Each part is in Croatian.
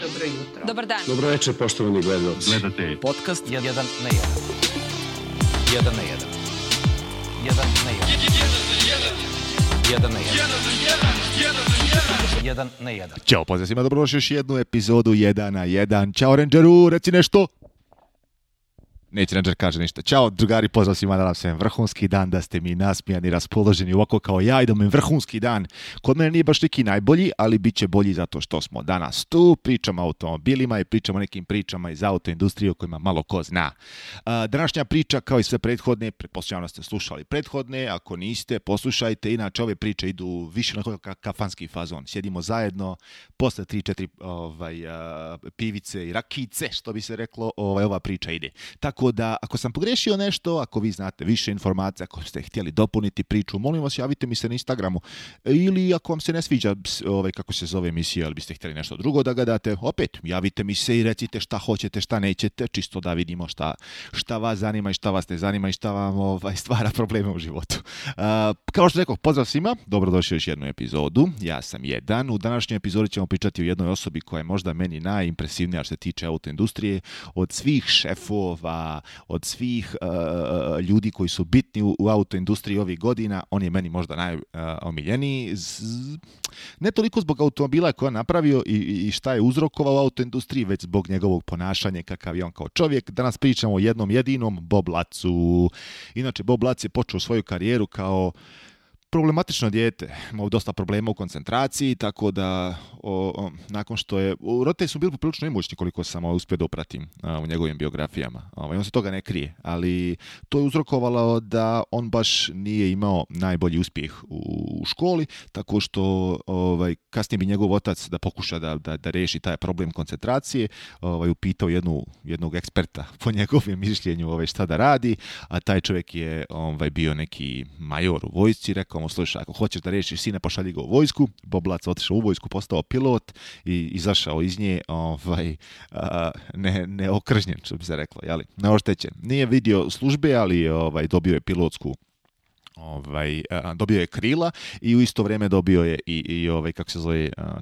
Dobro jutro. Dobar dan. Dobro večer, poštovani gledalci. Gledate podcast 1 na 1. 1 na 1. 1 na 1. 1 na 1. 1 na 1. Ćao, pozdrav svima, dobrodošli još jednu epizodu 1 na 1. Ćao Rangeru, reci nešto. Neće Ranger kaže ništa. Ćao drugari, pozdrav svima, da nam se vrhunski dan, da ste mi nasmijani, raspoloženi ovako kao ja i da mi vrhunski dan. Kod mene nije baš neki najbolji, ali bit će bolji zato što smo danas tu, pričamo o automobilima i pričamo o nekim pričama iz autoindustrije o kojima malo ko zna. Današnja priča, kao i sve prethodne, pretpostavljam da ste slušali prethodne, ako niste, poslušajte, inače ove priče idu više na kafanski fazon. Sjedimo zajedno, posle 3-4 pivice i rakice, što bi se reklo, ova priča ide. Tako da, ako sam pogrešio nešto, ako vi znate više informacija, ako ste htjeli dopuniti priču, molim vas, javite mi se na Instagramu. Ili ako vam se ne sviđa kako se zove emisija, ali biste htjeli nešto drugo da gledate, opet, javite mi se i recite šta hoćete, šta nećete, čisto da vidimo šta vas zanima i šta vas ne zanima i šta vam stvara probleme u životu. Kao što rekao, pozdrav svima, dobrodošli u još jednu epizodu. Ja sam Jedan. U današnjoj epizodi ćemo pričati o jednoj osobi koja je možda meni najimpresivnija što se tiče autoindustrije, od svih šefova, od svih ljudi koji su bitni u autoindustriji ovih godina. On je meni možda najomiljeniji. Ne toliko zbog automobila koje je napravio i šta je uzrokovao u autoindustriji, već zbog njegovog ponašanja, kakav je on kao čovjek. Danas pričamo o jednom jedinom Bob Lacu. Inače, Bob Lac je počeo svoju karijeru kao problematično dijete, imao dosta problema u koncentraciji, tako da nakon što je... Roditelji su bili poprilično imućni koliko sam uspio da upratim u njegovim biografijama. On se toga ne krije, ali to je uzrokovalo da on baš nije imao najbolji uspjeh u školi, tako što kasnije bi njegov otac da pokuša da reši taj problem koncentracije, upitao jednog eksperta po njegovom mišljenju šta da radi, a taj čovjek je bio neki major u vojsci, rekao mu, slušaj, ako hoćeš da rešiš sine, pošalji ga u vojsku. Bob Lac otišao u vojsku, postao pilot i izašao iz nje neokržnjen, što bi se reklo, jeli? Neoštećen. Nije vidio službe, ali dobio je pilotsku dobio je krila i u isto vrijeme dobio je i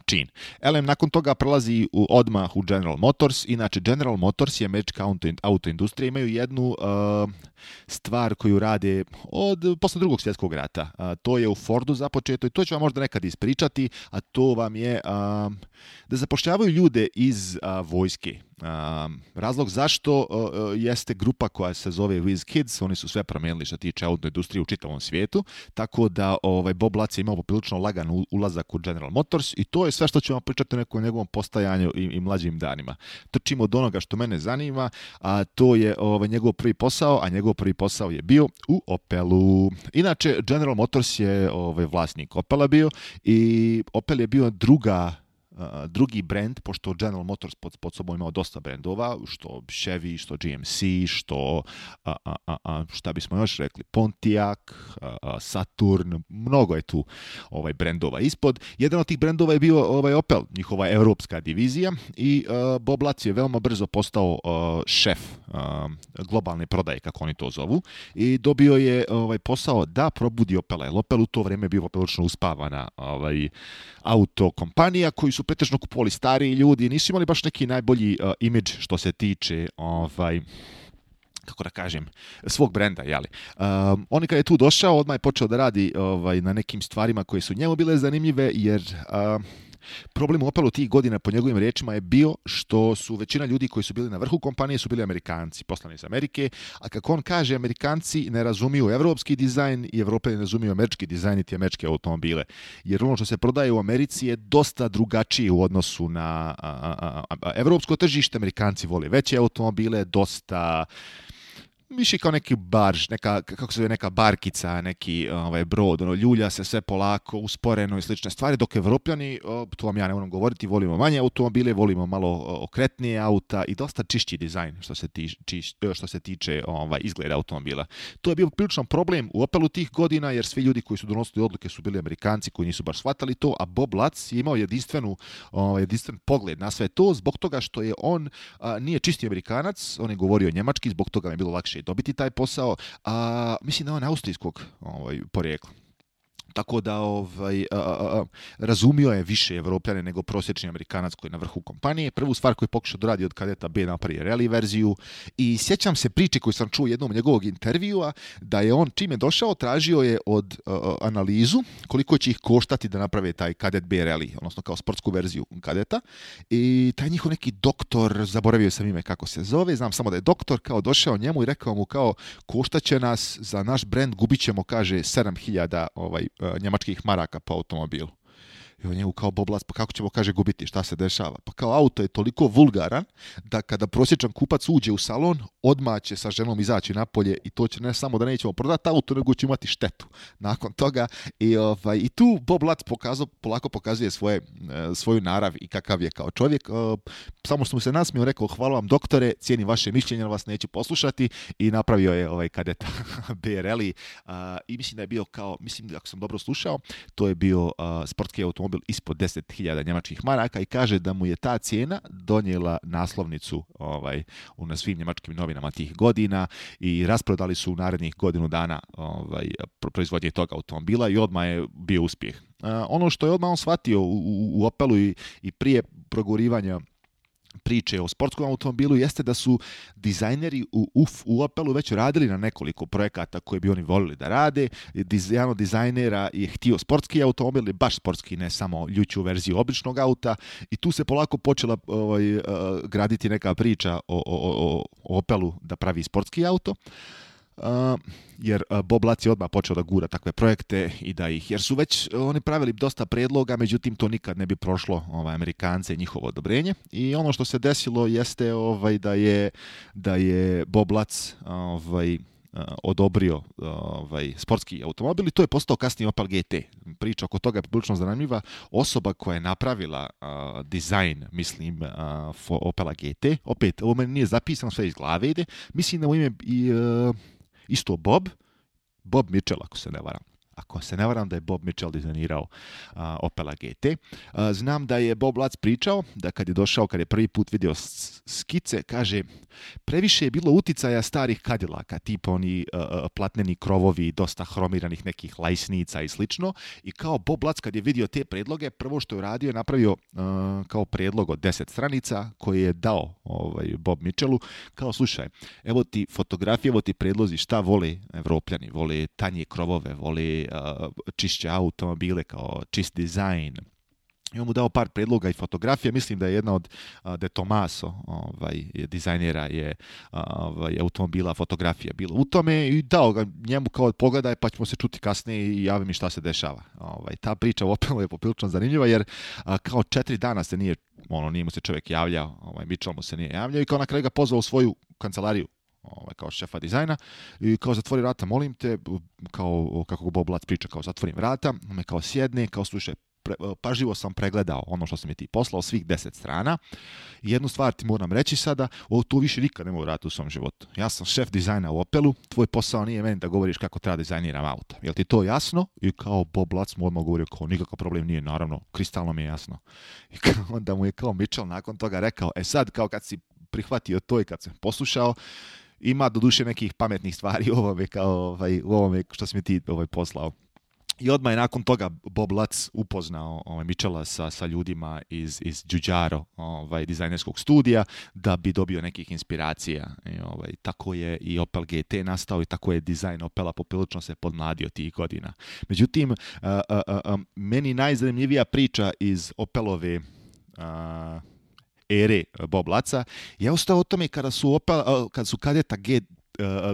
čin. LM nakon toga prelazi odmah u General Motors. Inače, General Motors je američka autoindustrija. Imaju jednu stvar koju rade posle drugog svjetskog rata. To je u Fordu započeto i to ću vam možda nekad ispričati, a to vam je da zapošljavaju ljude iz vojske. Razlog zašto jeste grupa koja se zove Whiz Kids, oni su sve promijenili što tiče autoindustrije u čitavom svijetu, tako da Bob Lac je imao poprilično lagan ulazak u General Motors i to je sve što ću vam pričati o nekom njegovom postajanju i mlađim danima. Trčimo od onoga što mene zanima, a to je njegov prvi posao, a njegov prvi posao je bio u Opelu. Inače, General Motors je vlasnik Opela bio i Opel je bio drugi brand, pošto General Motors pod sobom imao dosta brendova, što Chevy, što GMC, što šta bismo još rekli, Pontiac, Saturn, mnogo je tu brendova ispod. Jedan od tih brendova je bio Opel, njihova europska divizija, i Bob Lac je veoma brzo postao šef globalne prodaje, kako oni to zovu, i dobio je posao da probudi Opela, jer Opel u to vrijeme bio prilično uspavana auto kompanija koji su pretežno kupovali stariji ljudi, nisu imali baš neki najbolji imidž što se tiče kako da kažem, svog brenda, jeli. On kad je tu došao, odmah je počeo da radi na nekim stvarima koje su njemu bile zanimljive, jer problem u Opelu tih godina, po njegovim riječima, je bio što su većina ljudi koji su bili na vrhu kompanije su bili Amerikanci, poslani iz Amerike, a kako on kaže, Amerikanci ne razumiju evropski dizajn i Evropljani ne razumiju američki dizajn i američke automobile. Jer ono što se prodaje u Americi je dosta drugačije u odnosu na evropsko tržište. Amerikanci vole veće automobile, dosta više kao neki barž, neka barkica, neki brod, ljulja se sve polako, usporeno i slične stvari, dok Evropljani, to vam ja ne moram govoriti, volimo manje automobile, volimo malo okretnije auta i dosta čišći dizajn što se tiče izgleda automobila. To je bio priličan problem u Opelu tih godina, jer svi ljudi koji su donosili odluke su bili Amerikanci koji nisu baš shvatali to, a Bob Lac je imao jedinstven pogled na sve to, zbog toga što je on nije čisti Amerikanac, on je govorio njemački, zbog toga mi je bilo lakše dobiti taj posao, a mislim da je on austrijskog porijekla. Tako da razumio je više Evropljane nego prosječni Amerikanac koji je na vrhu kompanije. Prvu stvar koju je pokušao da radi od kadeta B napravi rally verziju i sjećam se priče koju sam čuo jednom njegovog intervjua da je on čim je došao tražio je od analizu koliko će ih koštati da naprave taj kadet B rally, odnosno kao sportsku verziju kadeta i taj njihov neki doktor, zaboravio sam ime kako se zove, znam samo da je doktor kao došao njemu i rekao mu kao koštaće nas za naš brend, gubit ćemo kaže 7.000 njemačkih maraka po automobilu. I on njemu kao Boblac, pa kako ćemo, kaže, gubiti, šta se dešava? Pa kao auto je toliko vulgaran da kada prosječan kupac uđe u salon, odmah će sa ženom izaći napolje i to će ne samo da nećemo prodati auto, nego će imati štetu. Nakon toga i tu Boblac polako pokazuje svoju narav i kakav je kao čovjek. Samo što mu se nasmio, rekao, hvala vam doktore, cijenim vaše mišljenje, ali vas neću poslušati i napravio je kadeta BRL i mislim da je bio kao, mislim ako sam dobro slušao, to je bio sportski automobil ispod 10.000 njemačkih maraka i kaže da mu je ta cijena donijela naslovnicu na svim njemačkim novinama tih godina i rasprodali su u narednih godinu dana proizvodnje tog automobila i odmah je bio uspjeh. Ono što je odmah on shvatio u Opelu i prije progurivanja priče o sportskom automobilu jeste da su dizajneri u Opelu već radili na nekoliko projekata koje bi oni volili da rade. Jedan od dizajnera je htio sportski automobil, baš sportski, ne samo ljuću verziju običnog auta i tu se polako počela graditi neka priča o Opelu da pravi sportski auto. Jer Boblac je odmah počeo da gura takve projekte i da ih, jer su već oni pravili dosta predloga, međutim to nikad ne bi prošlo Amerikance i njihovo odobrenje i ono što se desilo jeste da je Boblac odobrio sportski automobil i to je postao kasnije Opel GT. Priča oko toga je prilično zanimljiva. Osoba koja je napravila dizajn, mislim, Opela GT, opet, ovo meni nije zapisano, sve iz glave ide, mislim da mu ime isto Bob Mitchell, ako se ne varam. Ako se ne varam da je Bob Mitchell dizajnirao Opela GT. Znam da je Bob Lac pričao da kad je došao, kad je prvi put vidio skice, kaže, previše je bilo uticaja starih Cadillaka, tipa oni platneni krovovi, dosta hromiranih nekih lajsnica i slično. I kao Bob Lac kad je vidio te predloge, prvo što je uradio je napravio kao predlog od 10 stranica koji je dao Bob Mitchellu. Kao, slušaj, evo ti fotografije, evo ti predlozi šta vole Evropljani. Vole tanje krovove, vole čišće automobile, kao čist dizajn. I on mu dao par predloga i fotografije. Mislim da je jedna od De Tomaso dizajnera je automobila fotografija bila u tome i dao ga njemu kao pogledaj pa ćemo se čuti kasnije i javi mi šta se dešava. Ta priča u Opelu je poprilično zanimljiva jer kao 4 dana se nije mu se čovjek javljao, Mitchell mu se nije javljao i kao na kraju ga pozvao u svoju kancelariju kao šefa dizajna i kao zatvori vrata, molim te, kao kako Bob Lac priča, kao zatvorim vrata, me kao sjedne, kao slušaj, pažljivo sam pregledao ono što sam je ti poslao, svih 10 strana. I jednu stvar ti moram reći sada, to više nikad ne mogu raditi u svom životu. Ja sam šef dizajna u Opelu, tvoj posao nije meni da govoriš kako treba dizajniram auto. Jel ti to jasno? I kao Bob Lac mu odmah govorio kao nikakav problem nije, naravno, kristalno mi je jasno. I onda mu je kao Mitchell nakon toga rekao, sad kao kad si prihvatio to i kad sam poslušao, ima doduše nekih pametnih stvari u ovome što si mi ti poslao. I odmah je nakon toga Bob Lac upoznao Mitchella sa ljudima iz Giugiaro, dizajnerskog studija, da bi dobio nekih inspiracija. Tako je i Opel GT nastao i tako je dizajn Opela poprilično se podmladio tih godina. Međutim, meni najzanimljivija priča iz Opelove ere Bob Laca je ostao o tome kada su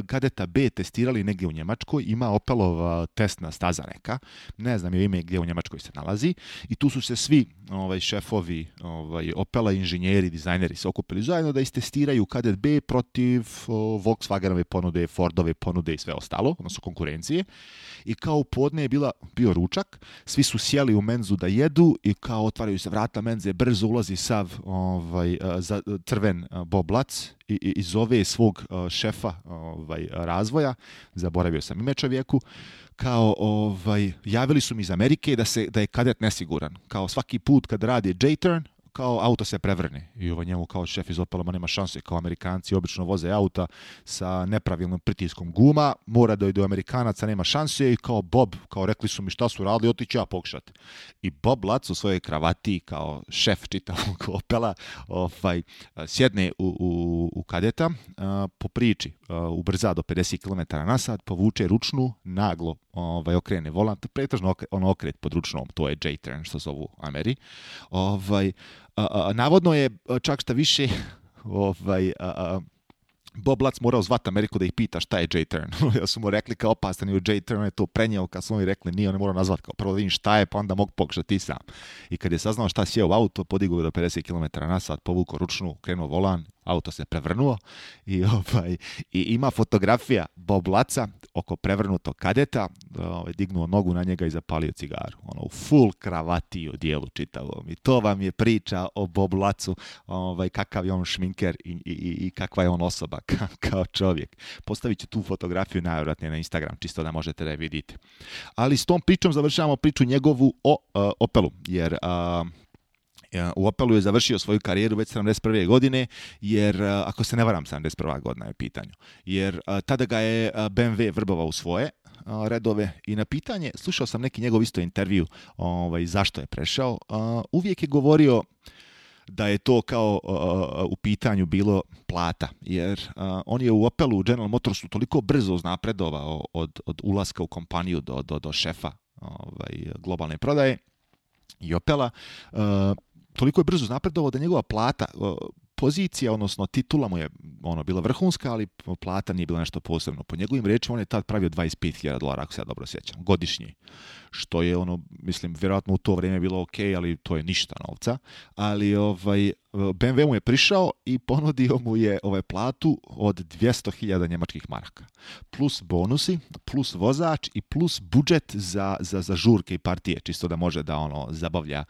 Kadeta B testirali negdje u Njemačkoj, ima Opelova testna staza neka, ne znam je ime gdje u Njemačkoj se nalazi, i tu su se svi šefovi Opela, inženjeri, dizajneri se okupili zajedno da istestiraju Kadet B protiv Volkswagenove ponude, Fordove ponude i sve ostalo, odnosno konkurencije. I kao u podne je bio ručak, svi su sjeli u menzu da jedu i kao otvaraju se vrata menze, brzo ulazi sav crven Bob Lac i zove svog šefa razvoja, zaboravio sam ime čovjeku, kao javili su mi iz Amerike da je Kadet nesiguran. Kao svaki put kad radi J-turn, kao auto se prevrne i njemu kao šef iz Opela nema šanse, kao Amerikanci obično voze auta sa nepravilnom pritiskom guma, mora da do Amerikanaca nema šanse i kao Bob, kao rekli su mi šta su radili, otići ja pokušati. I Bob Lutz u svojoj kravati kao šef čitavog Opela sjedne u kadeta po priči, ubrza do 50 km/h, povuče ručnu, naglo okrene volant, pretežno okret pod ručnom, to je J-turn što zovu Ameri. Navodno je čak šta više Bob Lutz morao zvati Ameriku da ih pita šta je J-turn. Ja su mu rekli kao opastan je u J-turn, je to prenijeo, kad su oni rekli nije, on je morao nazvati kao prvo da vidim šta je, pa onda mogu pokušati ti sam. I kad je saznao šta sjeo u auto, podigao do 50 km/h, povukao ručnu, krenuo volan, auto se prevrnuo i ima fotografija Bob Lutza oko prevrnutog kadeta, dignuo nogu na njega i zapalio cigaru. U full kravati u dijelu čitavom. I to vam je priča o Bob Lutzu, kakav je on šminker i kakva je on osoba kao čovjek. Postavit ću tu fotografiju najvjerojatnije na Instagram, čisto da možete da je vidite. Ali s tom pričom završavamo priču njegovu o Opelu, jer u Opelu je završio svoju karijeru već 71. godine, jer, ako se ne varam, 71. godina je pitanje, jer tada ga je BMW vrbovao u svoje redove i na pitanje, slušao sam neki njegov isto intervju zašto je prešao, uvijek je govorio da je to kao u pitanju bilo plata, jer on je u Opelu, u General Motorsu toliko brzo uznapredovao od ulaska u kompaniju do šefa globalne prodaje i Opela, toliko je brzo napredovao da njegova plata, pozicija, odnosno titula mu je bila vrhunska, ali plata nije bila nešto posebno. Po njegovim rečima on je tad pravio $25,000, ako se ja dobro sjećam, godišnji. Što je mislim, vjerojatno u to vrijeme bilo ok, ali to je ništa novca. Ali BMW mu je prišao i ponudio mu je platu od 200.000 njemačkih maraka. Plus bonusi, plus vozač i plus budžet za žurke i partije, čisto da može da zabavlja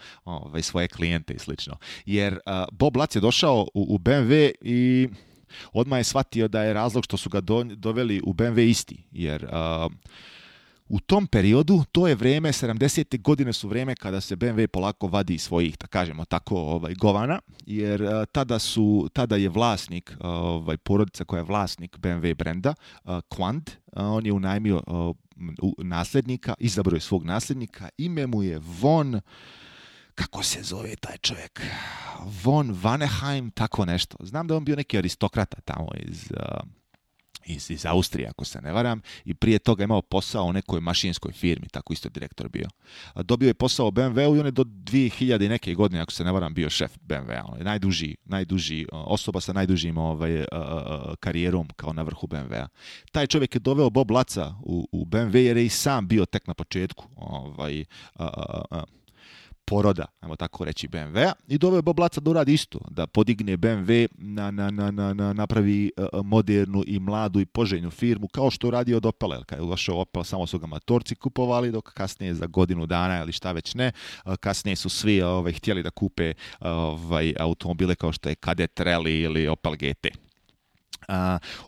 svoje klijente i slično. Jer Bob Lutz je došao u BMW i odmah je shvatio da je razlog što su ga doveli u BMW isti. Jer u tom periodu, to je vrijeme, 70. godine su vrijeme kada se BMW polako vadi svojih, da kažemo tako, govana, jer tada je vlasnik, porodica koja je vlasnik BMW brenda, Quand, on je unajmio nasljednika, izabrao je svog nasljednika, ime mu je Von, kako se zove taj čovjek? Von Vanheim, tako nešto. Znam da je on bio neki aristokrata tamo iz Austrije, ako se ne varam, i prije toga imao posao u nekoj mašinskoj firmi, tako isto direktor bio. Dobio je posao u BMW-u i on je do 2000 i neke godine, ako se ne varam, bio šef BMW-a. On je najduži osoba sa najdužim karijerom kao na vrhu BMW-a. Taj čovjek je doveo Bob Lutza u BMW jer je i sam bio tek na početku poroda, ajmo tako reći, BMW-a, i doveo Bob Lutza da uradi isto, da podigne BMW napravi modernu i mladu i poželjnu firmu, kao što radi od Opela. Kad je došao Opel, samo su ga motorci kupovali, dok kasnije za godinu dana ili šta već ne, kasnije su svi htjeli da kupe automobile kao što je Kadett Rally ili Opel GT.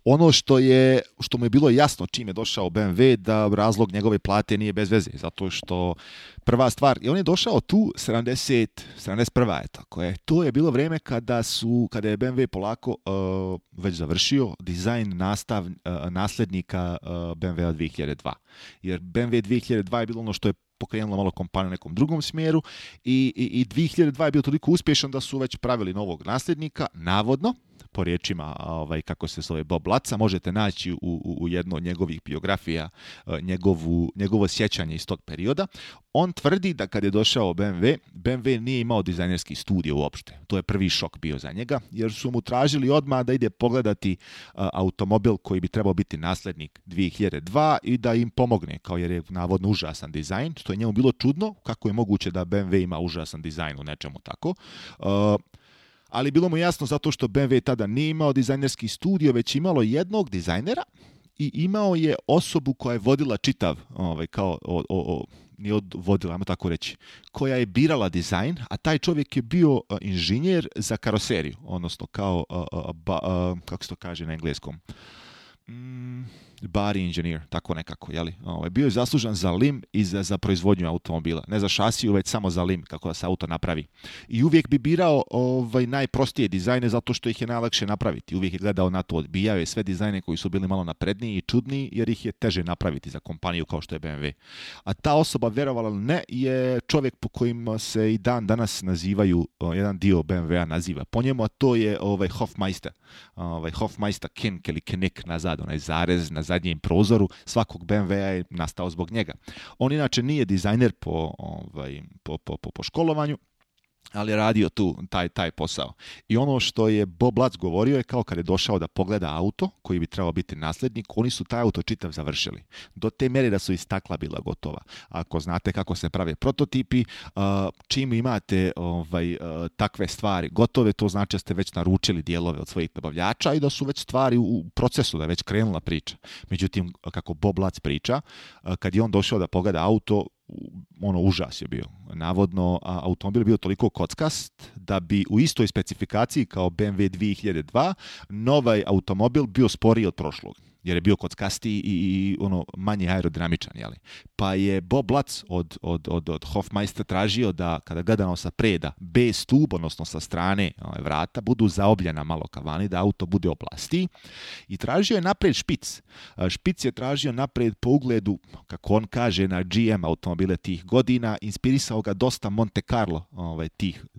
Ono što mu je bilo jasno čim je došao BMW, da razlog njegove plate nije bez veze, zato što prva stvar, i on je došao tu 71. je tako je. To je bilo vrijeme kada je BMW polako već završio dizajn nasljednika BMW 2002. Jer BMW 2002 je bilo ono što je pokrenulo malo kompaniju u nekom drugom smjeru i 2002 je bio toliko uspješan da su već pravili novog nasljednika, navodno, po riječima kako se zove Bob Lutza, možete naći u jednoj od njegovih biografija njegovo sjećanje iz tog perioda. On tvrdi da kad je došao BMW nije imao dizajnerski studio uopšte. To je prvi šok bio za njega, jer su mu tražili odmah da ide pogledati automobil koji bi trebao biti nasljednik 2002 i da im pomogne, kao jer je navodno užasan dizajn, što je njemu bilo čudno, kako je moguće da BMW ima užasan dizajn u nečemu tako. Ali bilo mu jasno zato što BMW tada nije imao dizajnerski studio, već imalo jednog dizajnera i imao je osobu koja je vodila čitav, nije vodila, ajmo tako reći, koja je birala dizajn, a taj čovjek je bio inženjer za karoseriju, odnosno kao, kako se to kaže na engleskom? body engineer, tako nekako, jeli? Bio je zaslužan za lim i za proizvodnju automobila. Ne za šasiju, već samo za lim, kako da se auto napravi. I uvijek bi birao najprostije dizajne zato što ih je najlakše napraviti. Uvijek je gledao na to, odbijao je sve dizajne koji su bili malo napredniji i čudniji, jer ih je teže napraviti za kompaniju kao što je BMW. A ta osoba, verovala ili ne, je čovjek po kojim se i dan danas nazivaju, jedan dio BMW-a naziva po njemu, a to je Hofmeister. Hofmeister Kink ili Knik nazad, onaj zarez na zadnjem prozoru svakog BMW-a je nastao zbog njega. On inače nije dizajner po školovanju, ali je radio tu taj posao. I ono što je Bob Lutz govorio je kao kad je došao da pogleda auto koji bi trebao biti nasljednik, oni su taj auto čitav završili. Do te mjere da su i stakla bila gotova. Ako znate kako se prave prototipi, čim imate takve stvari gotove, to znači da ste već naručili dijelove od svojih nabavljača i da su već stvari u procesu, da je već krenula priča. Međutim, kako Bob Lutz priča, kad je on došao da pogleda auto, užas je bio. Navodno, automobil je bio toliko kockast da bi u istoj specifikaciji kao BMW 2002 novaj automobil bio sporiji od prošlog, jer je bio kockastiji i manje aerodinamičan, jeli. Pa je Bob Lutz od Hofmeister tražio da kada gledano sa preda B-stub, odnosno sa strane vrata, budu zaobljena malo ka vani, da auto bude oplastiji. I tražio je napred špic. Špic je tražio napred po ugledu, kako on kaže, na GM automobile tih godina. Inspirisao ga dosta Monte Carlo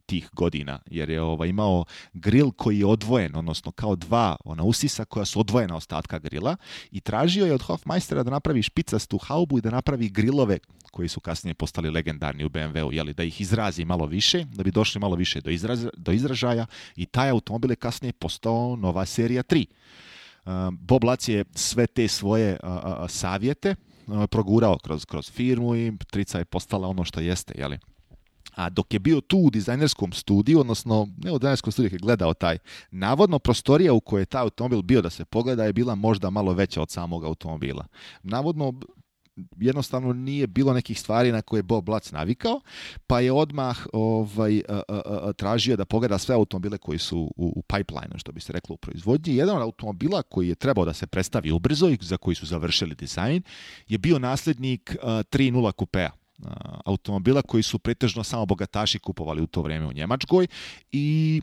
tih godina, jer je imao grill koji je odvojen, odnosno kao dva usisa koja su odvojena ostatka grila, i tražio je od Hofmeistera da napravi špicastu haubu i da napravi grilove koji su kasnije postali legendarni u BMW-u, jeli, da ih izrazi malo više, da bi došli malo više do izražaja, i taj automobil je kasnije postao nova serija 3. Bob Lutz je sve te svoje savjete progurao kroz firmu i trica je postala ono što jeste, jeli. A dok je bio tu u dizajnerskom studiju, odnosno ne u dizajnerskom studiju, je gledao taj, navodno prostorija u kojoj je taj automobil bio da se pogleda je bila možda malo veća od samog automobila. Navodno, jednostavno nije bilo nekih stvari na koje je Bob Lutz navikao, pa je odmah tražio da pogleda sve automobile koji su u pipeline, što bi se reklo u proizvodnji. Jedan od automobila koji je trebao da se predstavi ubrzo i za koji su završili dizajn je bio nasljednik 3.0 kupea. Automobila koji su pretežno samo bogataši kupovali u to vrijeme u Njemačkoj, i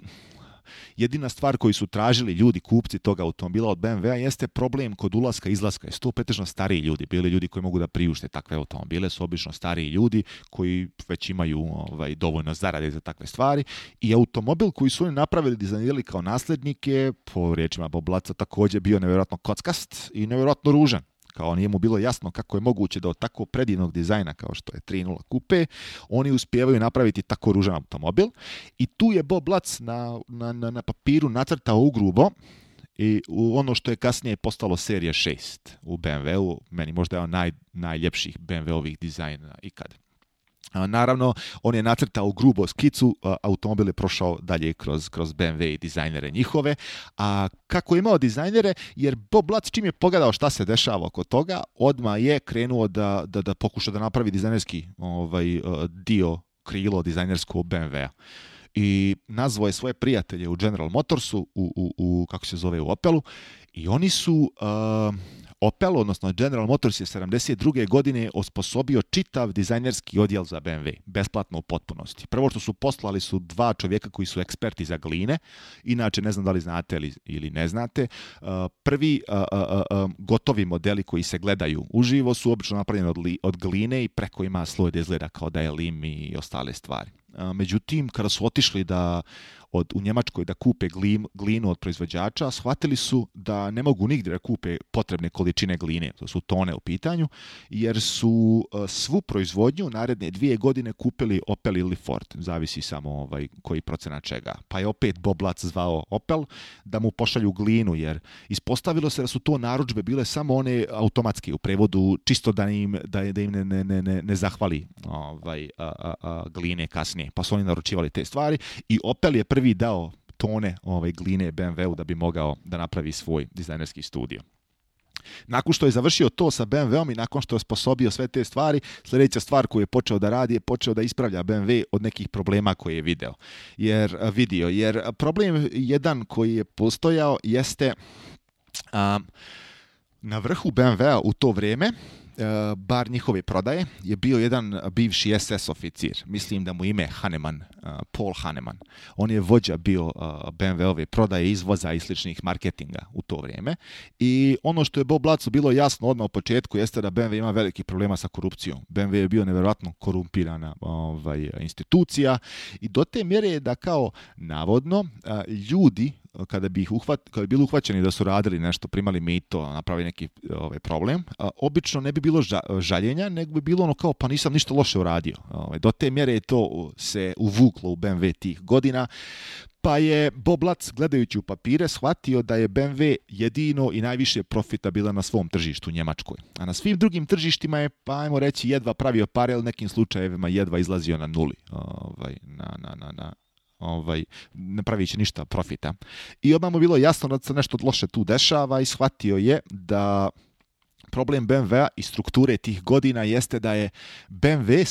jedina stvar koju su tražili ljudi, kupci toga automobila od BMW-a, jeste problem kod ulaska i izlaska. Jesu to pretežno stariji ljudi, bili ljudi koji mogu da priušte takve automobile, su obično stariji ljudi koji već imaju dovoljno zarade za takve stvari, i automobil koji su oni napravili, dizajnirali kao nasljednike, po riječima Bob Lutza, također bio nevjerojatno kockast i nevjerojatno ružan. Kao nije mu bilo jasno kako je moguće da od tako predivnog dizajna kao što je 3.0 kupe, oni uspijevaju napraviti tako ružan automobil. I tu je Bob Lutz na papiru nacrtao ugrubo i ono što je kasnije postalo serija 6 u BMW-u, meni možda je on najljepših BMW-ovih dizajna ikad. Naravno, on je nacrtao grubo skicu, automobil je prošao dalje kroz BMW i dizajnere njihove. A kako je imao dizajnere, jer Bob Lutz čim je pogledao šta se dešava oko toga, odmah je krenuo da pokuša da napravi dizajnerski dio, krilo dizajnersko BMW-a. I nazvao je svoje prijatelje u General Motorsu, u kako se zove, u Opelu, i oni su... Opel, odnosno General Motors, je 72. godine osposobio čitav dizajnerski odjel za BMW, besplatno u potpunosti. Prvo što su poslali su 2 čovjeka koji su eksperti za gline, inače ne znam da li znate ili ne znate, prvi gotovi modeli koji se gledaju uživo su obično napravljeni od gline i preko ima sloj da izgleda kao da je lim i ostale stvari. Međutim, kada su otišli u Njemačkoj da kupe glinu od proizvođača, shvatili su da ne mogu nigdje da kupe potrebne količine gline, to su tone u pitanju, jer su svu proizvodnju naredne 2 godine kupili Opel ili Ford, zavisi samo koji procenat čega. Pa je opet Bob Lutz zvao Opel da mu pošalju glinu, jer ispostavilo se da su to narudžbe bile samo one automatske, u prevodu čisto da im ne zahvali gline kasnije. Pa su oni naručivali te stvari i Opel je prvi dao tone gline BMW-u da bi mogao da napravi svoj dizajnerski studio. Nakon što je završio to sa BMW-om i nakon što je sposobio sve te stvari, sljedeća stvar koju je počeo da radi je počeo da ispravlja BMW od nekih problema koje je vidio. Jer problem jedan koji je postojao jeste... Na vrhu BMW-a u to vrijeme, bar njihove prodaje, je bio jedan bivši SS oficir. Mislim da mu ime Hahnemann, Paul Hahnemann. On je vođa bio BMW-ove prodaje, izvoza i sličnih marketinga u to vrijeme. I ono što je Bob Lutzu bilo jasno odmah u početku jeste da BMW ima veliki problema sa korupcijom. BMW je bio nevjerojatno korumpirana institucija i do te mjere je da kao navodno ljudi kada bi bili uhvaćeni da su radili nešto, primali mito, napravili neki problem, obično ne bi bilo žaljenja, nego bi bilo ono kao pa nisam ništa loše uradio. Do te mjere je to se uvuklo u BMW tih godina, pa je Bob Lutz, gledajući u papire, shvatio da je BMW jedino i najviše profitabilan na svom tržištu u Njemačkoj. A na svim drugim tržištima je, pa ajmo reći, jedva pravio pare, ali nekim slučajevima jedva izlazio na nuli. Ne pravići ništa profita. I odmah mu bilo jasno da se nešto loše tu dešava i shvatio je da problem BMW-a i strukture tih godina jeste da je BMW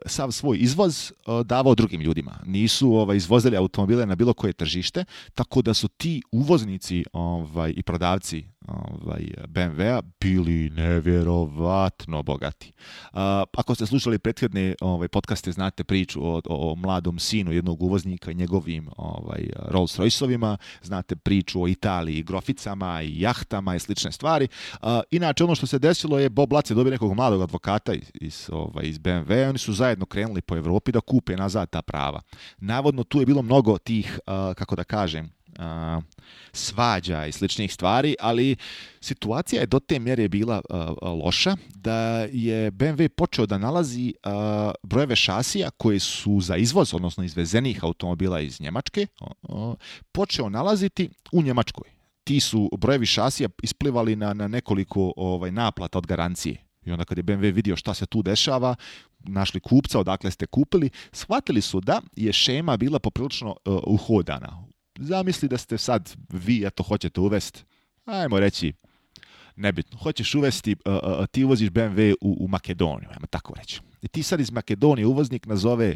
sav svoj izvoz davao drugim ljudima. Nisu izvozili automobile na bilo koje tržište, tako da su ti uvoznici i prodavci BMW-a bili nevjerovatno bogati. Ako ste slušali prethodne podcaste, znate priču o mladom sinu jednog uvoznika i njegovim Rolls Royceovima, znate priču o Italiji, groficama i jahtama i slične stvari. Inače, ono što se desilo je Bob Lutz je dobio nekog mladog advokata iz BMW-a, oni su zajedno krenuli po Evropi da kupe nazad ta prava. Navodno tu je bilo mnogo tih, kako da kažem, svađa i sličnih stvari, ali situacija je do te mjere bila loša da je BMW počeo da nalazi brojeve šasija koji su za izvoz, odnosno izvezenih automobila iz Njemačke, počeo nalaziti u Njemačkoj. Ti su brojevi šasija isplivali na nekoliko naplata od garancije. I onda kad je BMW vidio šta se tu dešava, našli kupca, odakle ste kupili, shvatili su da je šema bila poprilično uhodana. Zamisli da ste sad vi, eto, hoćete uvesti, ajmo reći, nebitno, hoćeš uvesti, ti uvoziš BMW u Makedoniju, ajmo tako reći. I ti sad iz Makedonije uvoznik nazove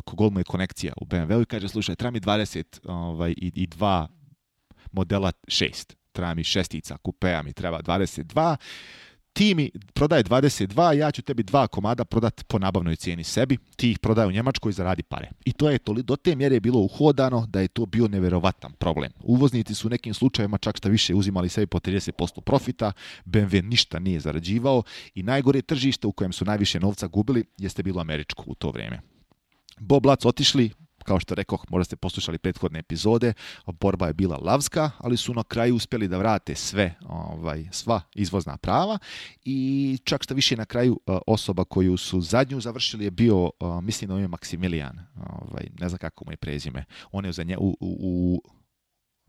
kogol mu je konekcija u BMW i kaže, slušaj, treba mi 22 modela 6, treba mi šestica, kupea mi treba 22, ti mi prodaje 22, ja ću tebi 2 komada prodati po nabavnoj cijeni sebi, ti ih prodaje u Njemačkoj i zaradi pare. I to je do te mjere bilo uhodano da je to bio nevjerovatan problem. Uvoznici su u nekim slučajevima čak šta više uzimali sebi po 30% profita, BMW ništa nije zarađivao i najgore tržište u kojem su najviše novca gubili jeste bilo američko u to vrijeme. Bob Lutz otišli, kao što rekoh, možda ste poslušali prethodne epizode, borba je bila lavska, ali su na kraju uspjeli da vrate sva izvozna prava i čak što više na kraju osoba koju su zadnju završili je bio, mislim da je Maksimilijan, ne znam kako mu je prezime, on je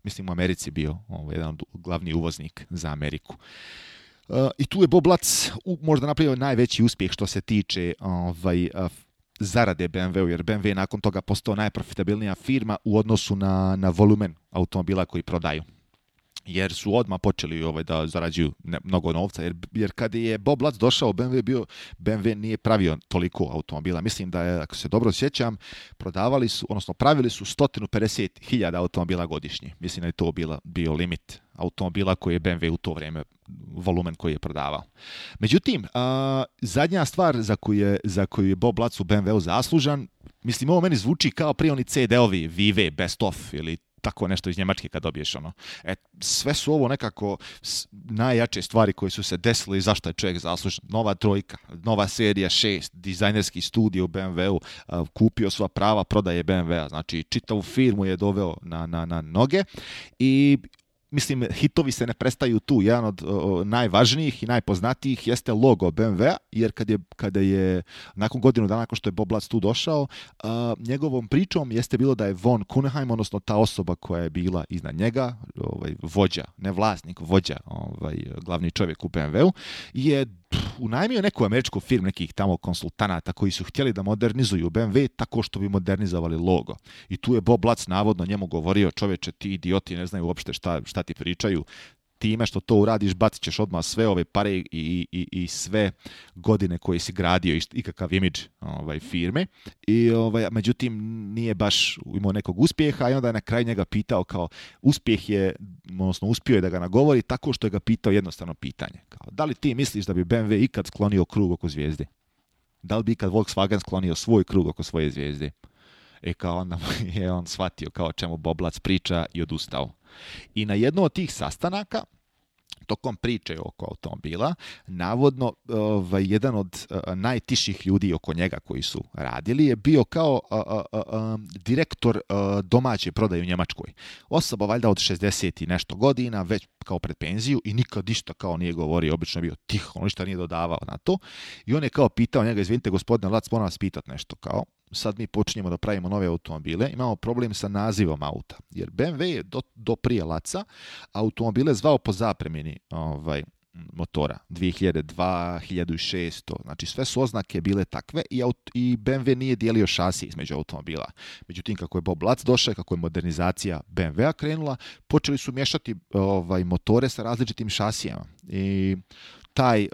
mislim u Americi bio jedan od glavni uvoznik za Ameriku. I tu je Bob Lutz možda napravio najveći uspjeh što se tiče zarade BMW-u, jer BMW je nakon toga postao najprofitabilnija firma u odnosu na volumen automobila koji prodaju. Jer su odmah počeli da zarađuju mnogo novca, jer kad je Bob Lutz došao, BMW nije pravio toliko automobila. Mislim da je, ako se dobro sjećam, pravili su 150.000 automobila godišnje. Mislim da je to bio limit automobila koji je BMW u to vrijeme, volumen koji je prodavao. Međutim, zadnja stvar za koju je Bob Lutz u BMW-u zaslužan, mislim, ovo meni zvuči kao prije oni CD-ovi Vive, Best Of ili tako nešto iz Njemačke kad dobiješ sve su ovo nekako najjače stvari koje su se desile i zašto je čovjek zaslužen. Nova trojka, nova serija 6, dizajnerski studio u BMW-u, kupio sva prava prodaje BMW-a, znači čitavu firmu je doveo na noge i mislim, hitovi se ne prestaju tu. Jedan od najvažnijih i najpoznatijih jeste logo BMW-a, jer kada je nakon godinu dana nakon što je Bob Lutz tu došao, njegovom pričom jeste bilo da je von Kuneheim, odnosno ta osoba koja je bila iznad njega, vođa, ne vlasnik, vođa, glavni čovjek u BMW-u, je unajmio neku američku firmu, nekih tamo konsultanata koji su htjeli da modernizuju BMW tako što bi modernizovali logo. I tu je Bob Lutz navodno njemu govorio, čoveče, ti idioti ne znaju uopšte šta ti pričaju, time što to uradiš bacit ćeš odmah sve ove pare i sve godine koje si gradio i kakav imidž firme. I, međutim, nije baš imao nekog uspjeha i onda je na kraju njega pitao kao uspjeh je, odnosno uspio je da ga nagovori tako što je ga pitao jednostavno pitanje. Kao, da li ti misliš da bi BMW ikad sklonio krug oko zvijezde? Da li bi ikad Volkswagen sklonio svoj krug oko svoje zvijezde? Kao onda je on shvatio kao čemu Boblac priča i odustao. I na jednom od tih sastanaka, tokom priče oko automobila, navodno jedan od najtiših ljudi oko njega koji su radili je bio kao direktor domaće prodaje u Njemačkoj. Osoba valjda od 60 i nešto godina, već kao pred penziju i nikad ništa kao nije govorio, obično je bio tiho, on ništa nije dodavao na to. I on je kao pitao njega, izvinite gospodine Lac, moram vas pitati nešto, kao sad mi počinjemo da pravimo nove automobile, imamo problem sa nazivom auta, jer BMW je do prije Laca automobile zvao po zapremini motora 2002, 1600, znači sve su oznake bile takve i BMW nije dijelio šasi između automobila. Međutim, kako je Bob Lac došao, kako je modernizacija BMW-a krenula, počeli su miješati motore sa različitim šasijama i taj,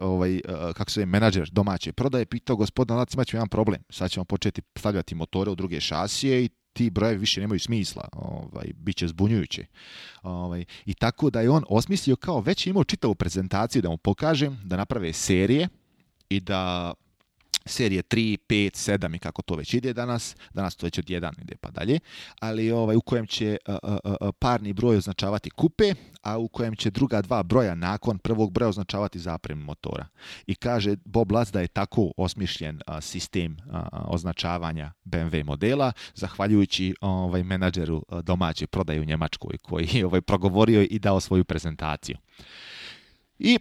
kako se zove, menadžer domaće prodaje pitao gospodina Lac, imat ćemo jedan problem, sad ćemo početi stavljati motore u druge šasije i ti brojevi više nemaju smisla, bit će zbunjujući. I tako da je on osmislio kao već imao čitavu prezentaciju da mu pokažem, da naprave serije i da serije 3, 5, 7 i kako to već ide danas to već od 1 ide pa dalje, ali u kojem će parni broj označavati kupe, a u kojem će druga dva broja nakon prvog broja označavati zapremu motora. I kaže Bob Lac da je tako osmišljen sistem označavanja BMW modela, zahvaljujući menadžeru domaće prodaje u Njemačkoj koji je progovorio i dao svoju prezentaciju. I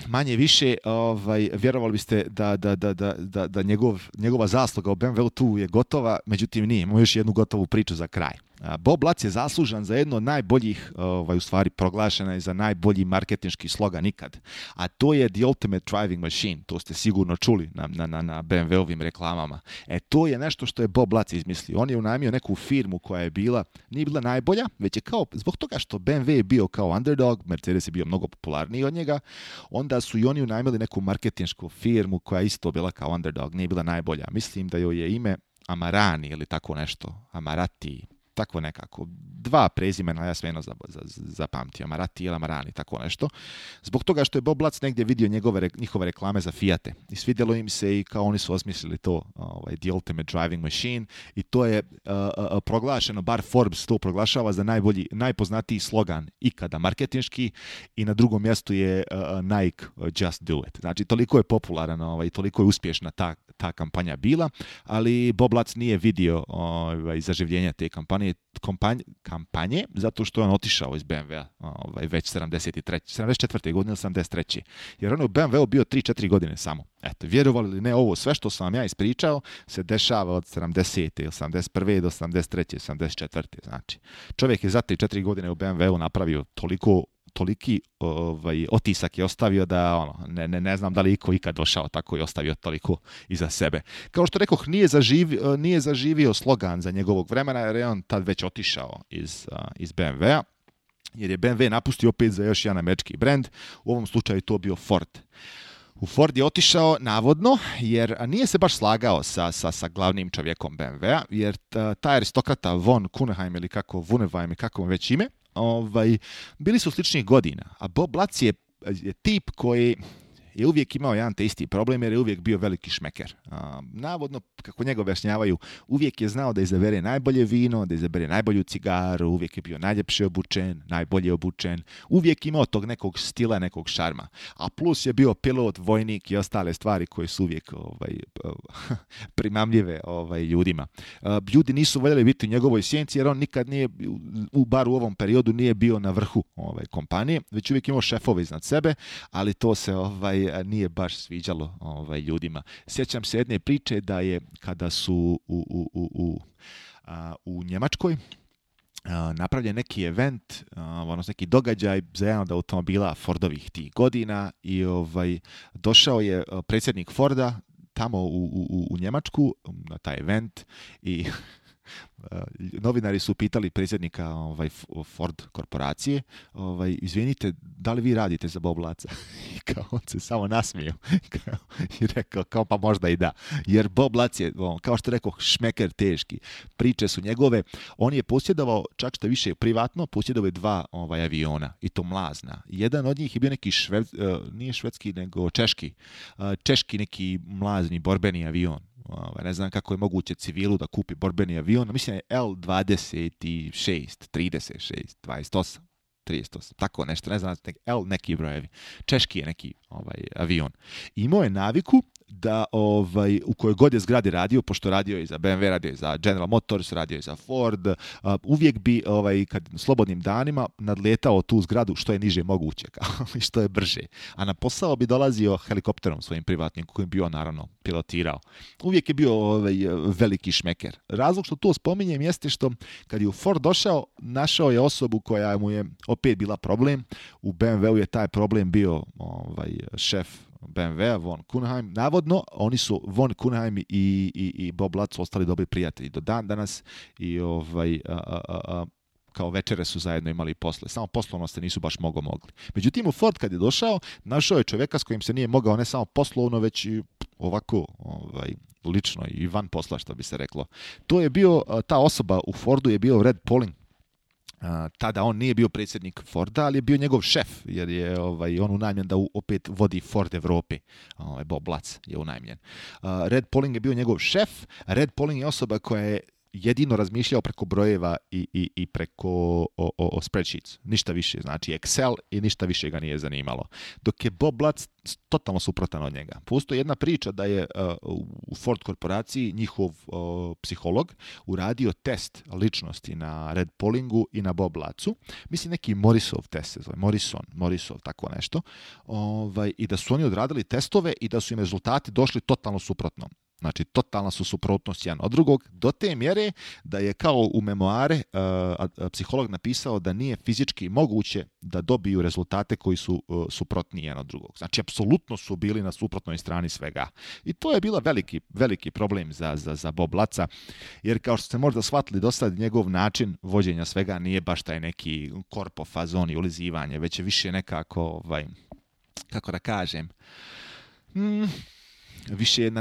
manje više vjerovali biste da njegova zasluga u BMW tu je gotova, međutim nije. Imamo još jednu gotovu priču za kraj. Bob Lac je zaslužan za jedno od najboljih, u stvari proglašena je za najbolji marketinški slogan ikad. A to je The Ultimate Driving Machine. To ste sigurno čuli na BMW-ovim reklamama. To je nešto što je Bob Lac izmislio. On je unajmio neku firmu koja je nije bila najbolja, već je kao, zbog toga što BMW je bio kao underdog, Mercedes je bio mnogo popularniji od njega, onda su i oni unajmili neku marketinšku firmu koja je isto bila kao underdog, nije bila najbolja. Mislim da joj je ime Amarani ili tako nešto, Amarati, tako nekako. 2 prezimena, ja sve jedno zapamtio, Marati ili Amarani, tako nešto. Zbog toga što je Bob Lac negdje vidio njihove reklame za Fiate. I svidjelo im se i kao oni su osmislili to, The Ultimate Driving Machine, i to je proglašeno, bar Forbes to proglašava za najpoznatiji slogan ikada marketinški, i na drugom mjestu je Nike Just Do It. Znači, toliko je popularan i toliko je uspješna ta kampanja bila, ali Bob Lac nije vidio zaživljenja te kampanje, zato što je on otišao iz BMW-a već 74. godine ili 73. Jer on je u BMW-u bio 3-4 godine samo. Eto, vjerovali ili ne, ovo sve što sam vam ja ispričao se dešava od 70. ili 71. do 73. 74. Znači, čovjek je za 3-4 godine u BMW-u napravio toliki otisak je ostavio da ne znam da li iko ikad došao tako i ostavio toliko iza sebe. Kao što rekoh, nije zaživio slogan za njegovog vremena, jer je on tad već otišao iz BMW-a, jer je BMW napustio opet za još jedan američki brend, u ovom slučaju to bio Ford. U Ford je otišao navodno, jer nije se baš slagao sa glavnim čovjekom BMW-a, jer taj aristokrata von Kuneheim ili kako Wunderheim i kako već ime, bili su sličnih godina, a Bob Lac je tip koji je uvijek imao jedan te isti problem, jer je uvijek bio veliki šmeker. Navodno, kako njega objašnjavaju, uvijek je znao da izabere najbolje vino, da izabere najbolju cigaru, uvijek je bio najljepše obučen, najbolje obučen, uvijek imao tog nekog stila, nekog šarma. A plus je bio pilot, vojnik i ostale stvari koje su uvijek primamljive ljudima. Ljudi nisu voljeli biti u njegovoj sjenci, jer on nikad nije, bar u ovom periodu, nije bio na vrhu kompanije, već uvijek imao šefove iznad sebe, ali to se nije baš sviđalo ljudima. Sjećam se jedne priče da je kada su u Njemačkoj napravljen neki event, neki događaj za jedan od automobila Fordovih tih godina, i došao je predsjednik Forda tamo u Njemačku na taj event, i Novinari su pitali predsjednika Ford korporacije, izvinite, da li vi radite za Bob Latza? I kao on se samo nasmio i rekao kao pa možda i da. Jer Bob Latz je, kao što rekao, šmeker teški. Priče su njegove. On je posjedovao, čak što više privatno, posjedovao je 2 aviona i to mlazna. Jedan od njih je bio neki nije švedski, nego češki. Češki neki mlazni borbeni avion. Ne znam kako je moguće civilu da kupi borbeni avion. Mislim je L-26, 36, 28, 38, tako nešto, ne znam, L neki brojevi. Češki je neki avion. Imao je naviku da u kojoj god je zgradi radio, pošto radio je za BMW, radio je za General Motors, radio je za Ford, uvijek bi kad slobodnim danima nadletao tu zgradu što je niže moguće i što je brže. A na posao bi dolazio helikopterom svojim privatnim, kojim bi on naravno pilotirao. Uvijek je bio veliki šmeker. Razlog što to spominjem jeste što kad je u Ford došao, našao je osobu koja mu je opet bila problem. U BMW-u je taj problem bio šef BMW, Von Kuhnheim. Navodno, oni su Von Kuhnheim i Bob Latz ostali dobri prijatelji do dan danas i kao večere su zajedno imali posle. Samo poslovno se nisu baš mogli. Međutim, u Ford kad je došao, našao je čovjeka s kojim se nije mogao ne samo poslovno, već i ovako lično i van posla, što bi se reklo. To je bio, ta osoba u Fordu je bio Red Pauling. Tada on nije bio predsjednik Forda, ali je bio njegov šef, jer je on unajmljen da opet vodi Ford Evrope. Bob Latz je unajmljen. Red Pauling je bio njegov šef. Red Pauling je osoba koja je jedino razmišljao preko brojeva i preko spreadsheets. Ništa više, znači Excel i ništa više ga nije zanimalo. Dok je Bob Latz totalno suprotan od njega. Postoji jedna priča da je u Ford korporaciji njihov psiholog uradio test ličnosti na Red Paulingu i na Bob Latzu. Mislim neki Morrisov test se zove. Morrisov, tako nešto. I da su oni odradili testove i da su im rezultati došli totalno suprotno. Znači, totalna su suprotnost jedan od drugog, do te mjere da je kao u memoare psiholog napisao da nije fizički moguće da dobiju rezultate koji su suprotni jedan od drugog. Znači, apsolutno su bili na suprotnoj strani svega. I to je bila veliki problem za Bob Latza, jer kao što ste možda shvatili do sad, njegov način vođenja svega nije baš taj neki korpo fazon i ulizivanje, već je više nekako, kako da kažem, više na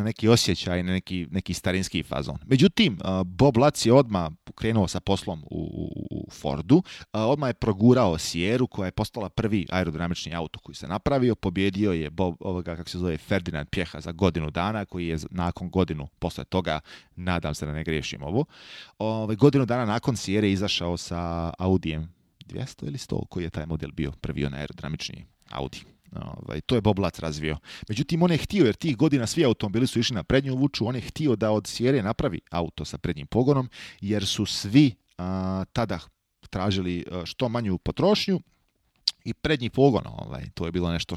neki osjećaj, na neki starinski fazon. Međutim, Bob Latz je odmah krenuo sa poslom u Fordu, odmah je progurao Sierru koja je postala prvi aerodinamični auto koji se napravio, pobjedio je Ferdinand Pjeha za godinu dana, koji je nakon godinu posle toga, nadam se da ne griješim godinu dana nakon Sierre izašao sa Audijem 200 ili 100, koji je taj model bio prvi onaj aerodinamični Audi. To je Bob Latz razvio. Međutim, on je htio, jer tih godina svi automobili su išli na prednju vuču, on je htio da od Sierre napravi auto sa prednjim pogonom, jer su svi tada tražili što manju potrošnju i prednji pogon. To je bilo nešto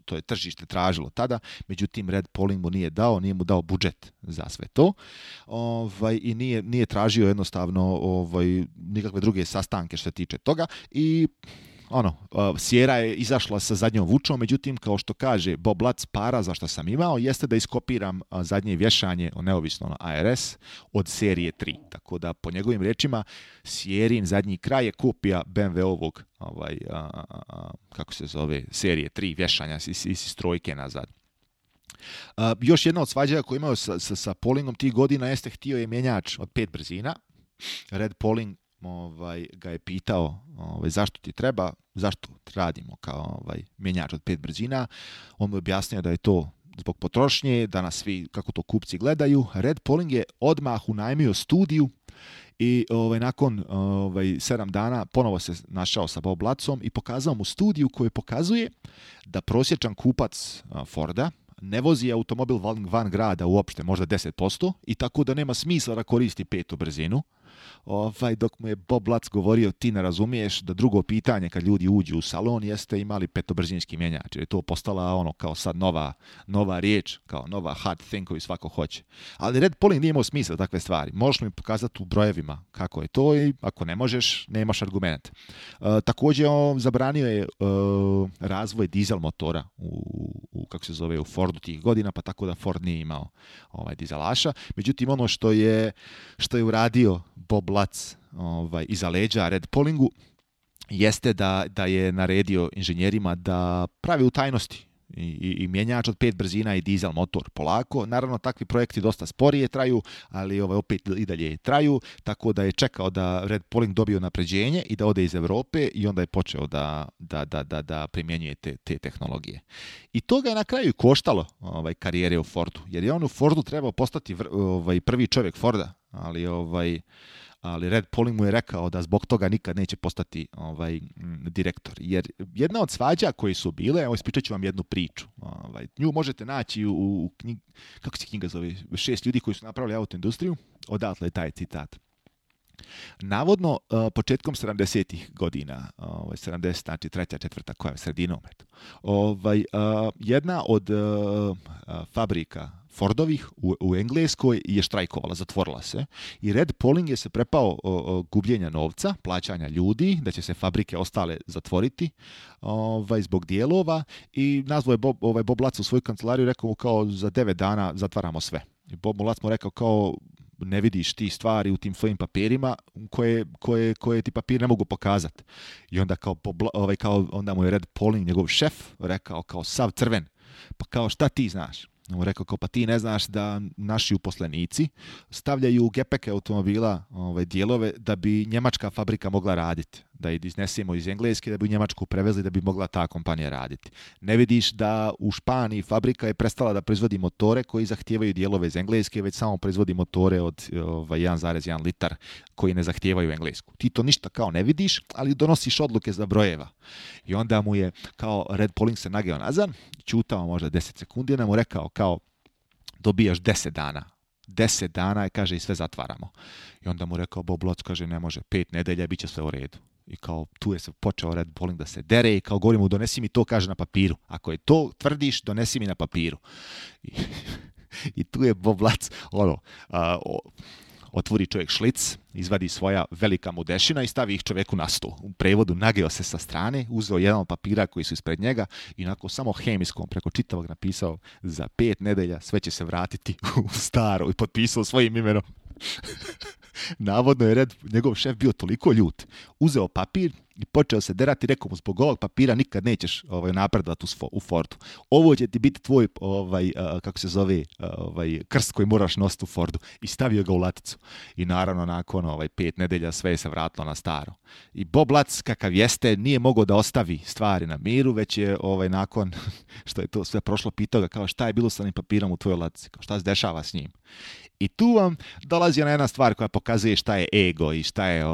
to je tržište tražilo tada. Međutim, Red Pauling mu nije mu dao budžet za sve to. I nije tražio jednostavno nikakve druge sastanke što se tiče toga. I Sierra je izašla sa zadnjom vučom, međutim, kao što kaže Bob Latz, para za što sam imao jeste da iskopiram zadnje vješanje, neovisno na ARS, od serije 3. Tako da, po njegovim rečima, Sierrin zadnji kraj je kopija BMW-ovog, kako se zove, serije 3 vješanja iz strojke nazad. Još jedna od svađaja koju imao sa Paulingom tih godina jeste htio je mjenjač od 5 brzina. Red Pauling ga je pitao zašto ti treba, zašto radimo kao mjenjač od 5 brzina. On mu je objasnio da je to zbog potrošnje, da nas svi, kako to kupci gledaju. Red Pauling je odmah unajmio studiju i nakon 7 dana ponovo se našao sa Bob Latzom i pokazao mu studiju koju pokazuje da prosječan kupac Forda ne vozi automobil van grada uopšte, možda 10%, i tako da nema smisla da koristi 5. brzinu. dok mu je Bob Lutz govorio ti ne razumiješ da drugo pitanje kad ljudi uđu u salon jeste imali petobrzinski mjenjač, jer je to postala kao sad nova riječ, kao nova hard thing koju svako hoće. Ali Red Polling nije imao smisla takve stvari. Možeš mi pokazati u brojevima kako je to i ako ne možeš, nemaš argument. Također on zabranio je razvoj dizel motora u Fordu tih godina, pa tako da Ford nije imao dizelaša. Međutim, ono što je uradio Bob Lutz iza leđa Red Pollingu jeste da je naredio inženjerima da pravi u tajnosti i mjenjač od 5 brzina i dizel motor polako. Naravno, takvi projekti dosta sporije traju, ali opet i dalje traju, tako da je čekao da Red Polling dobije napređenje i da ode iz Europe i onda je počeo da primjenjuje te tehnologije. I to ga je na kraju koštalo karijere u Fordu, jer je on u Fordu trebao postati prvi čovjek Forda, ali Red Polling mu je rekao da zbog toga nikad neće postati direktor. Jer jedna od svađa koje su bile, ispričat ću vam jednu priču. Nju možete naći u knjigi, kako se knjiga zove, 6 ljudi koji su napravili autoindustriju, odatle je taj citat. Navodno, početkom 70-ih godina, 70, znači treća, četvrta, koja je sredinom, jedna od fabrika Fordovih u Engleskoj je štrajkovala, zatvorila se i Red Polling je se prepao gubljenja novca, plaćanja ljudi, da će se fabrike ostale zatvoriti zbog dijelova i nazvao je Bob Lutz u svoju kancelariju, rekao mu kao za 9 dana zatvaramo sve. I Bob Lutz mu rekao kao ne vidiš ti stvari u tim svojim papirima koje ti papir ne mogu pokazati. I onda onda mu je Red Polling, njegov šef, rekao kao sav crven. Pa kao šta ti znaš? On rekao kao pa ti ne znaš da naši uposlenici stavljaju u gepeke automobila dijelove da bi njemačka fabrika mogla raditi. Da ih iznesemo iz Engleske, da bi u Njemačku prevezli, da bi mogla ta kompanija raditi. Ne vidiš da u Španiji fabrika je prestala da proizvodi motore koji zahtijevaju dijelove iz Engleske, već samo proizvodi motore od 1,1 litar koji ne zahtijevaju Englesku. Ti to ništa kao ne vidiš, ali donosiš odluke za brojeva. I onda mu je kao Red Polling se nageo nazad, čutao možda 10 sekundi, onda mu rekao kao dobijaš 10 dana. 10 dana je, kaže, i sve zatvaramo. I onda mu rekao Bob Lutz, kaže, ne može, 5 nedelja, bit će sve u redu. I kao tu je se počeo Red Polling da se dere i kao govorim mu donesi mi to, kaže, na papiru. Ako je to tvrdiš, donesi mi na papiru. I tu je Bob Lutz, otvori čovjek šlic, izvadi svoja velika mudešina i stavi ih čovjeku na stol. U prevodu nageo se sa strane, uzeo jedan od papira koji su ispred njega i onako samo hemijskom preko čitavog napisao za 5 nedelja sve će se vratiti u staro i potpisao svojim imenom. Navodno je njegov šef bio toliko ljut. Uzeo papir i počeo se derati, rekao mu zbog ovog papira nikad nećeš napredovati u Fordu. Ovo će ti biti tvoj krst koji moraš nositi u Fordu. I stavio ga u laticu. I naravno nakon 5 nedelja sve je se vratilo na staro. I Bob Lutz kakav jeste nije mogao da ostavi stvari na miru, već je nakon što je to sve prošlo pitao ga kao šta je bilo sa onim papirom u tvojoj latici, kao šta se dešava s njim. I tu vam dolazi ona jedna stvar koja pokazuje šta je ego i šta je,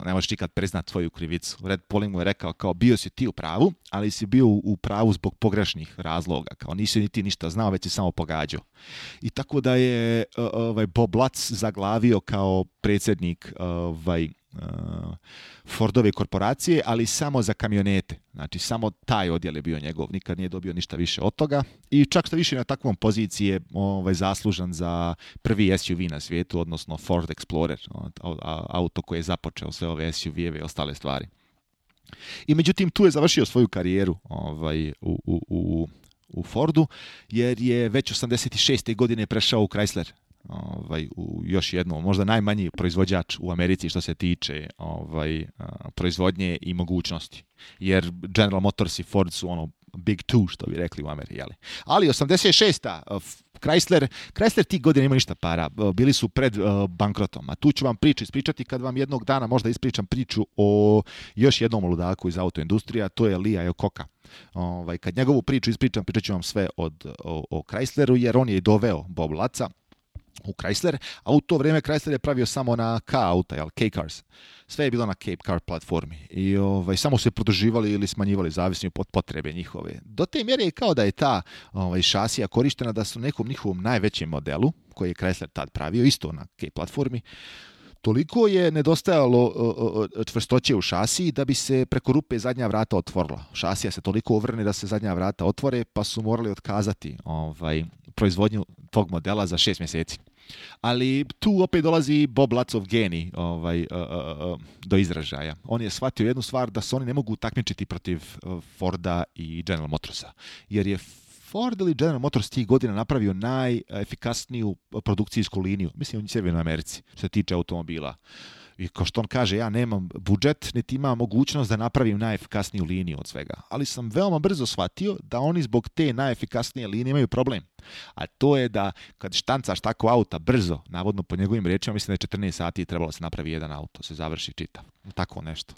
ne možeš nikad priznat svoju krivicu. Red Polling mu je rekao kao bio si ti u pravu, ali si bio u pravu zbog pogrešnih razloga. Kao nisi ni ti ništa znao, već si samo pogađao. I tako da je Bob Lutz zaglavio kao predsjednik Fordove korporacije, ali samo za kamionete. Znači, samo taj odjel je bio njegov. Nikad nije dobio ništa više od toga. I čak što više na takvom poziciji je zaslužan za prvi SUV na svijetu, odnosno Ford Explorer, auto koje je započeo sve ove SUV-eve i ostale stvari. I međutim, tu je završio svoju karijeru u Fordu, jer je već 86. godine prešao u Chrysler. U još jednom, možda najmanji proizvođač u Americi što se tiče proizvodnje i mogućnosti. Jer General Motors i Ford su big two, što bi rekli u Americi. Jeli? Ali 86. Chrysler tih godina ima ništa para. Bili su pred bankrotom. A tu ću vam ispričati kad vam jednog dana možda ispričam priču o još jednom ludaku iz autoindustrije, a to je Lee Iacocca. Kad njegovu priču ispričam, pričat ću vam sve o Chrysleru, jer on je i doveo Bob Lutza u Chrysler, a u to vrijeme Chrysler je pravio samo na K-auta, K-cars. Sve je bilo na Cape Car platformi i samo se produživali ili smanjivali zavisno od potrebe njihove. Do te mjere je kao da je ta šasija korištena da su nekom njihovom najvećem modelu, koji je Chrysler tad pravio, isto na Cape platformi, Toliko je nedostajalo čvrstoće u šasiji da bi se preko rupe zadnja vrata otvorila. Šasija se toliko uvrne da se zadnja vrata otvore, pa su morali otkazati proizvodnju tog modela za 6 mjeseci. Ali tu opet dolazi Bob Latzov genij do izražaja. On je shvatio jednu stvar, da se oni ne mogu takmičiti protiv Forda i General Motorsa. Jer je Ford ili General Motors tih godina napravio najefikasniju produkcijsku liniju, mislim u Sjevernoj Americi, što se tiče automobila. I kao što on kaže, ja nemam budžet, niti imam mogućnost da napravim najefikasniju liniju od svega. Ali sam veoma brzo shvatio da oni zbog te najefikasnije linije imaju problem. A to je da kad štancaš tako auta brzo, navodno po njegovim riječima, mislim da je 14 sati trebalo se napravi jedan auto, se završi čitav. Tako nešto.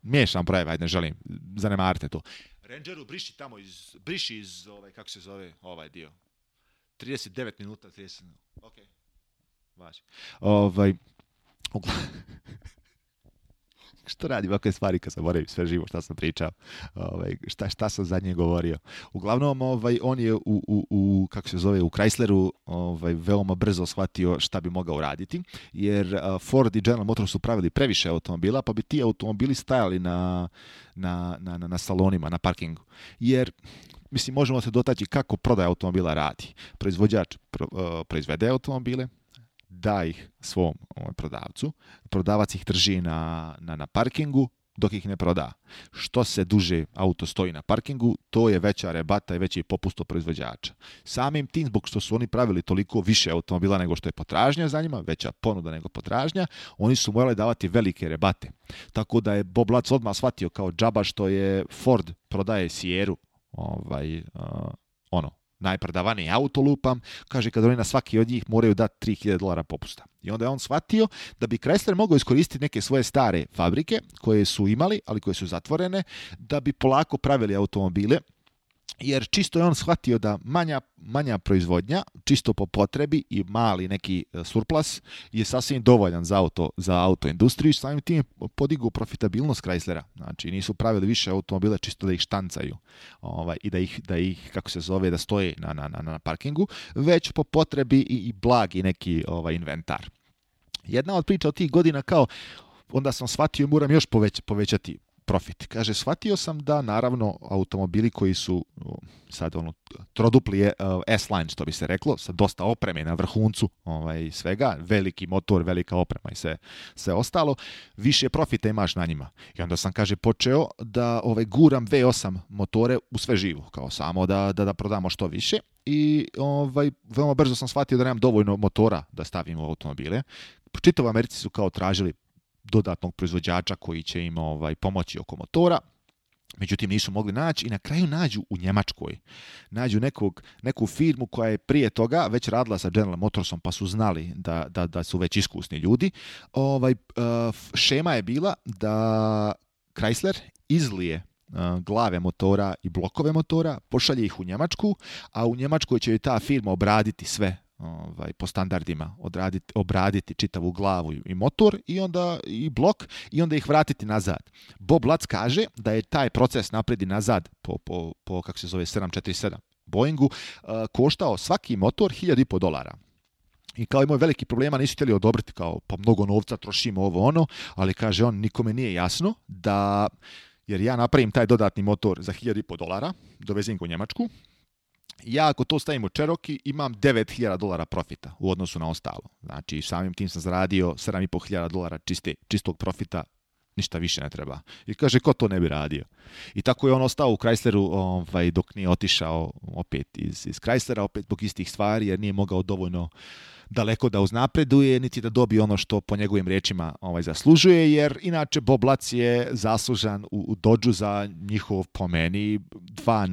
Miješam brojeva, ajde, ne želim, zanemarite to. Rangeru briši iz kako se zove ovaj dio. 39 minuta, 30 minuta. Ok. Važi. Što radi ovakve stvari kad sam morao sve živo šta sam pričao, šta sam zadnje govorio. Uglavnom, on je u kako se zove, u Chrysleru veoma brzo shvatio šta bi mogao raditi, jer Ford i General Motors su pravili previše automobila, pa bi ti automobili stajali na salonima, na parkingu. Jer mislim, možemo se dotaći kako prodaja automobila radi. Proizvođač proizvede automobile, da ih svom prodavcu, prodavac ih drži na parkingu dok ih ne proda. Što se duže auto stoji na parkingu, to je veća rebata i veći popust od proizvođača. Samim tim, zbog što su oni pravili toliko više automobila nego što je potražnja za njima, veća ponuda nego potražnja, oni su morali davati velike rebate. Tako da je Bob Lutz odmah shvatio kao džaba što je Ford prodaje Sierru, najprodavaniji auto lupam, kaže kad oni na svaki od njih moraju dati $3.000 popusta. I onda je on shvatio da bi Chrysler mogao iskoristiti neke svoje stare fabrike koje su imali, ali koje su zatvorene, da bi polako pravili automobile, jer čisto je on shvatio da manja proizvodnja, čisto po potrebi i mali neki surplus je sasvim dovoljan za auto industriju i samim tim podigu profitabilnost Chryslera. Znači nisu pravili više automobile čisto da ih štancaju i da ih kako se zove, da stoje na parkingu, već po potrebi i blagi neki inventar. Jedna od priča od tih godina kao onda sam shvatio moram još povećati profit. Kaže, shvatio sam da naravno automobili koji su sad trodupli S-line, što bi se reklo, sa dosta opreme na vrhuncu svega, veliki motor, velika oprema i sve ostalo, više profita imaš na njima. I onda sam, kaže, počeo da guram V8 motore u sve živo, kao samo da prodamo što više. I veoma brzo sam shvatio da nemam dovoljno motora da stavim u automobile. Čitav Americi su kao tražili dodatnog proizvođača koji će im pomoći oko motora. Međutim, nisu mogli naći i na kraju nađu u Njemačkoj. Nađu neku firmu koja je prije toga već radila sa General Motorsom, pa su znali da su već iskusni ljudi. Šema je bila da Chrysler izlije glave motora i blokove motora, pošalje ih u Njemačku, a u Njemačkoj će ta firma obraditi sve po standardima, obraditi čitavu glavu i motor i onda i blok i onda ih vratiti nazad. Bob Lutz kaže da je taj proces naprijed i nazad po kako se zove 747 Boeingu koštao svaki motor $1.500. I kao imao veliki problema, nisu htjeli odobriti kao pa mnogo novca trošimo ovo ono, ali kaže on nikome nije jasno da jer ja napravim taj dodatni motor za $1.500, dovezem ga u Njemačku, ja ako to stavim u Cherokee imam $9.000 profita u odnosu na ostalo. Znači samim tim sam zaradio $7.500 čistog profita, ništa više ne treba. I kaže ko to ne bi radio. I tako je on ostao u Chrysleru dok nije otišao opet iz Chryslera, opet zbog istih stvari jer nije mogao dovoljno daleko da uznapreduje, niti da dobije ono što po njegovim riječima zaslužuje, jer inače Bob Lutz je zaslužan u Dodgeu za njihov, po meni, dva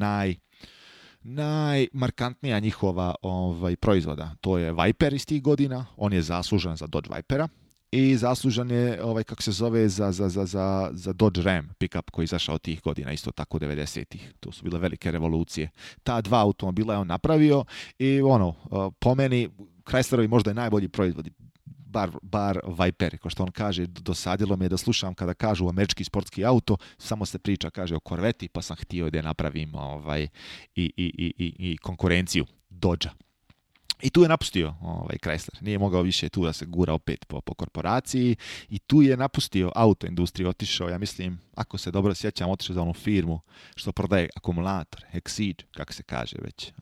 najmarkantnija njihova proizvoda. To je Viper iz tih godina, on je zaslužan za Dodge Vipera i zaslužan je kako se zove za Dodge Ram pickup koji je izašao tih godina, isto tako 90-ih. To su bile velike revolucije. Ta dva automobila je on napravio i po meni Chryslerovi možda je najbolji proizvodi. Bar Viper, kao što on kaže, dosadilo me da slušam kada kažu američki sportski auto, samo se priča, kaže, o Corvette, pa sam htio da napravim i konkurenciju Dodgea. I tu je napustio Chrysler. Nije mogao više tu da se gura opet po korporaciji i tu je napustio autoindustriju, otišao, ja mislim, ako se dobro sjećam, otišao za onu firmu što prodaje akumulator, Exige, kako se kaže već.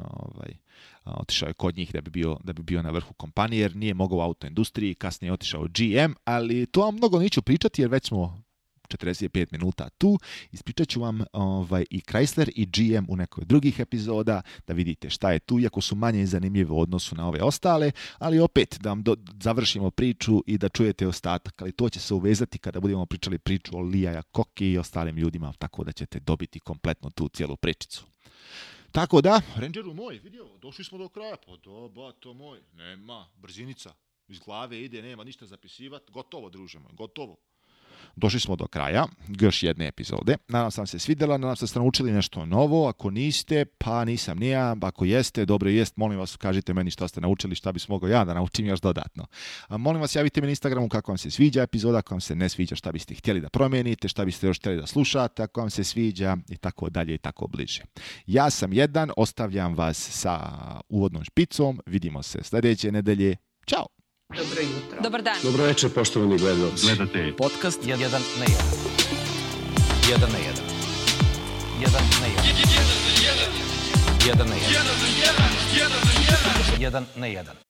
Otišao je kod njih da bi bio na vrhu kompanije, jer nije mogao u autoindustriji, kasnije je otišao u GM, ali to vam mnogo neću pričati, jer već smo 45 minuta tu. Ispričat ću vam i Chrysler i GM u nekoj drugih epizoda, da vidite šta je tu, iako su manje zanimljive u odnosu na ove ostale, ali opet da vam završimo priču i da čujete ostatak, ali to će se uvezati kada budemo pričali priču o Lee Iacocchi i ostalim ljudima, tako da ćete dobiti kompletno tu cijelu pričicu. Tako da, Rangeru moj, vidio, došli smo do kraja, pa to moj, nema, brzinica, iz glave ide, nema ništa zapisivati, gotovo, druže moj, gotovo. Došli smo do kraja još jedne epizode. Nadam se vam se svidjela, nadam se da ste naučili nešto novo. Ako niste, pa nisam ni ja. Ako jeste, dobro jest, molim vas, kažite meni šta ste naučili, šta bi mogao ja da naučim još dodatno. Molim vas, javite mi na Instagramu kako vam se sviđa epizoda, ako vam se ne sviđa, šta biste htjeli da promijenite, šta biste još htjeli da slušate, ako vam se sviđa i tako dalje i tako bliže. Ja sam jedan, ostavljam vas sa uvodnom špicom, vidimo se sljedeće nedelje. Ćao! Dobro jutro. Dobar dan. Dobro večer, poštovani gledalci. Gledate podcast 1 na 1. 1 na 1. 1 na 1. 1 na 1. 1 na 1. 1 na 1.